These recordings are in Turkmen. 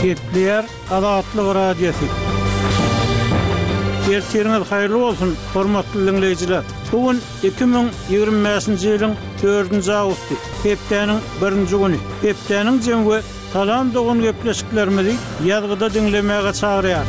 Gepleýär Azatlyk Radiosy. Ertiriňiz haýyrly bolsun, hormatly diňleýjiler! Bu gün 2025-nji ýylyň dördünji awgusty, hepdäniň birinji güni. Hepdäniň jemi we Salam dogan gepleşiklerimizi ýazgyda diňlemäge çagyrýar.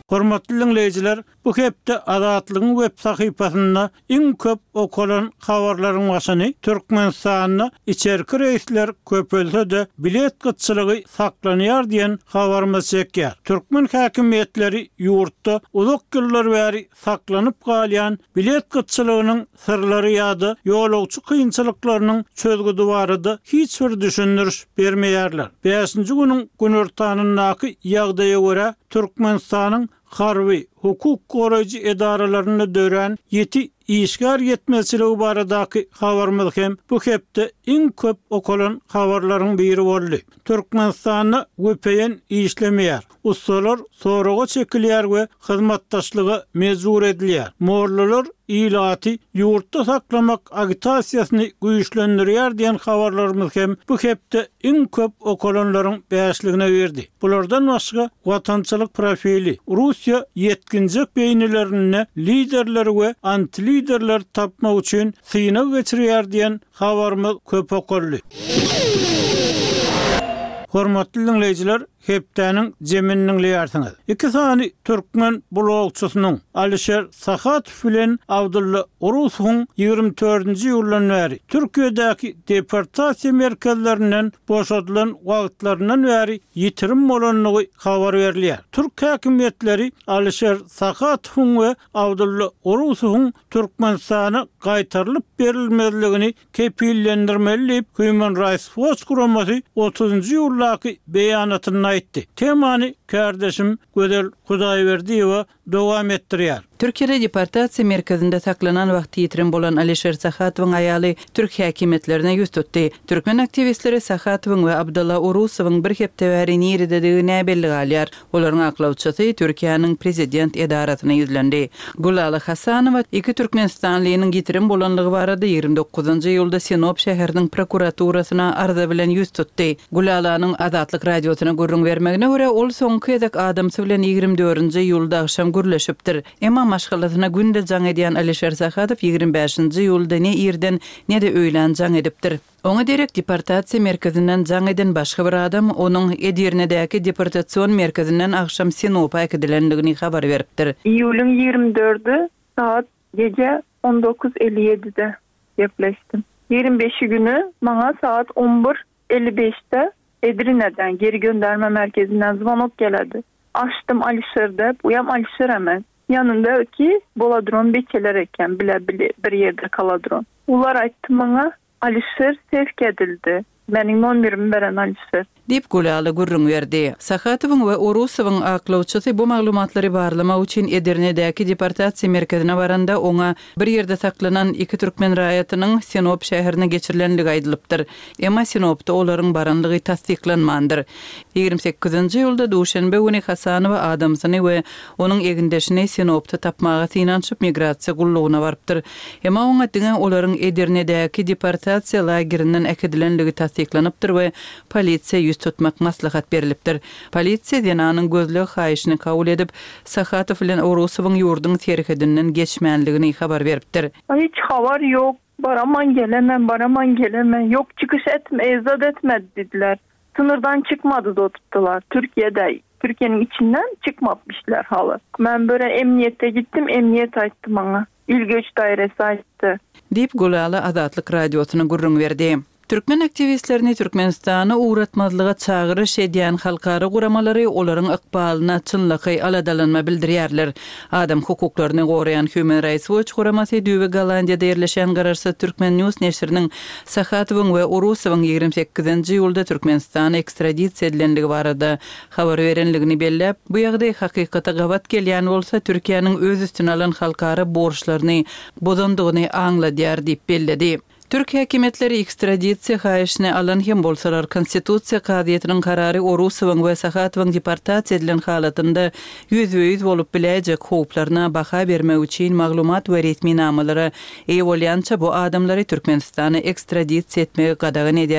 Hormatly diňleýjiler, bu hepde Azatlygyň web sahypasynda iň köp okalan habarlaryň başyny Türkmenistanda içerki reýsler köpelse-de, bilet gytçylygy saklanýar diýen habarymyz çekýär. Türkmen häkimiýetleri ýurtda uzak ýyllar bäri saklanyp galýan bilet gytçylygynyň syrlary ýa-da ýolagçy kynçylyklarynyň çözgüdi barada hiç bir düşündiriş bermeýärler. Bäşinji günüň günortanyndaky ýagdaýa görä, Türkmenistanyň harby, hukuk goraýjy edaralarynda dörän ýiti işgär ýetmezçiligi baradaky habarymyz hem bu hepde iň köp okalan habarlaryň biri boldy. Türkmenistanda vpn işlemeýär. Ussalar soraga çekilýär we hyzmatdaşlyga mejbur edilýär. Mollalar ilaty ýurtda saklamak agitasiýasyny güýçlendirýär diýen habarlarymyz hem bu hepde iň köp okalanlaryň bäşligine girdi. Bulardan başga watançylyk profili, Russiýa ýetginjek beýnilerinde liderleri we antiliderleri tapmak üçin synag geçirýär diýen habarymyz köp okaldy. Hormatly diňleýjiler, Hepdäniň jemini diňleýärsiňiz. Iki sany türkmen blogçysynyň, Alişer Sahatow bilen Abdylla Urusowyň 24-nji iýuldan bäri Türkiýedäki deportasiýa merkezlerinden boşadylan wagtlaryndan bäri ýitirim bolandygy habar berilýär. Türk häkimiýetleri Alişer Sahatowyň we Abdylla Urusowyň Türkmenistana gaýtarylyp berilmezligini kepillendirmeli diýip, Human Rights Watch guramasy otuzynjy iýuldaky beýanatynda aýtdy. Temany kärdeşim Gözel Hudaýberdiýewa dowam etdirýär. Türkiýede deportasiýa merkezinde saklanan wagty ýitirim bolan Alişer Sahatowyň aýaly türk häkimiýetlerine ýüz tutdy. Türkmen aktiwistleri Sahatowyň we Abdylla Urusowyň bir hepde bäri nirededigi näbelli galýar. Olaryň aklawçysy Türkiýäniň prezident edarasyna ýüzlendi. Gülala Hasanowa iki türkmenistanlynyň ýitirim bolanlygy barada 29-njy iýulda Sinop şäheriniň prokuraturasyna arza bilen ýüz tutdy. Gülalanyň Azatlyk Radiosyna gürrüň bermegine görä, ol soňky gezek adamsy bilen 24-nji iýulda agşam gürleşipdir. Emma maşgalasyna günde jaň edýän Alişer Sahadow 25-nji iýulda ne irden, ne-de öýlän jaň edipdir. Oňa derek deportasiýa merkezinden jaň eden başga bir adam onuň Edirnedäki deportasion merkezinden agşam Sinopa äkidilendigini habar beripdir. Iýulyň ýigrimi dördi sagat gije on dokuz elli ýedide gepleşdim. Ýigrimi beşi güni maňa sagat on bir elli beşde Edrineden, geri gönderme merkezinden zwonok geledi. Açdym Alişer dep, uýam Alişer emes. Ýanyndaky boladuran beçeler eken, bile bir ýerde kaladuran. Olar aýtdy maňa, Alişer sevk edildi. Meniň nomerimi beren Alişer. Diýip, Gülala gürrüň berdi. Sahatowyň we Urusowyň aklawçysy bu maglumatlary barlamak üçin Edirnedäki deportasiýa merkezine baranda, oňa bir ýerde saklanan iki türkmen raýatynyň Sinop şäherine geçirilenligi aýdylypdyr. Emma Sinopda olaryň baranlygy tassyklanmandyr. 28-nji iýulda duşenbe güni Hasanowa adamsyny we onuň egindeşini Sinopda tapmaga synanyşyp, migrasiýa gullugyna barypdyr. Emma oňa diňe olaryň Edirnedäki deportasiýa lagerinden äkidilenligi tassyklanypdyr we polisiýa ýüz tutmak maslahat berlipdir. Polisiýa zenanyň gözleg haýyşyny kabul edip, Sahatow bilen Orusowyň ýurduň serhedinden geçmänligini habar beripdir. Hiç habar ýok. Baraman gelemen, baraman gelemen. Ýok çykyş etme, zat etmedi diýdiler. Sınırdan çykmady dotupdylar. Türkiýede, Türkiýeniň içinden çykmapmyşlar haly. Men böre emniýete gitdim, emniýet aýtdy maňa. Il göç dairesi aýtdy. Diýip, Gülala Azatlyk Radiosyna gürrüň berdi. Türkmen aktiwistlerini Türkmenistana ugratmazlyga çagyryş edýän halkara guramalary olaryň ykbalyna çynlakaý aladalanma bildirýärler. Adam hukuklaryny goraýan Human Rights Watch guramasy düýbi Gollandiýada ýerleşýän garaşsyz Turkmen News neşiriniň Sahatowyň we Urusowyň 28-nji iýulda Türkmenistana ekstradisiýa edilenligi barada habar berenligini belläp, bu ýagdaý hakykata gabat gelýän bolsa, Türkiýäniň öz üstüne alan halkara borçlaryny bozandygyny aňladýar diýip belledi. Türk häkimiýetleri ekstradisiýa haýyşyny alan hem bolsalar, Konstitusiýa kazyýetiniň karary Orusowyň we Sahatowyň deportasiýa edilen halatynda ýüzbe-ýüz bolup biläýjek howplaryna baha bermek üçin maglumat we resminamalara eýe bolýança bu adamlary Türkmenistana ekstradisiýa etmegi gadagan edýär.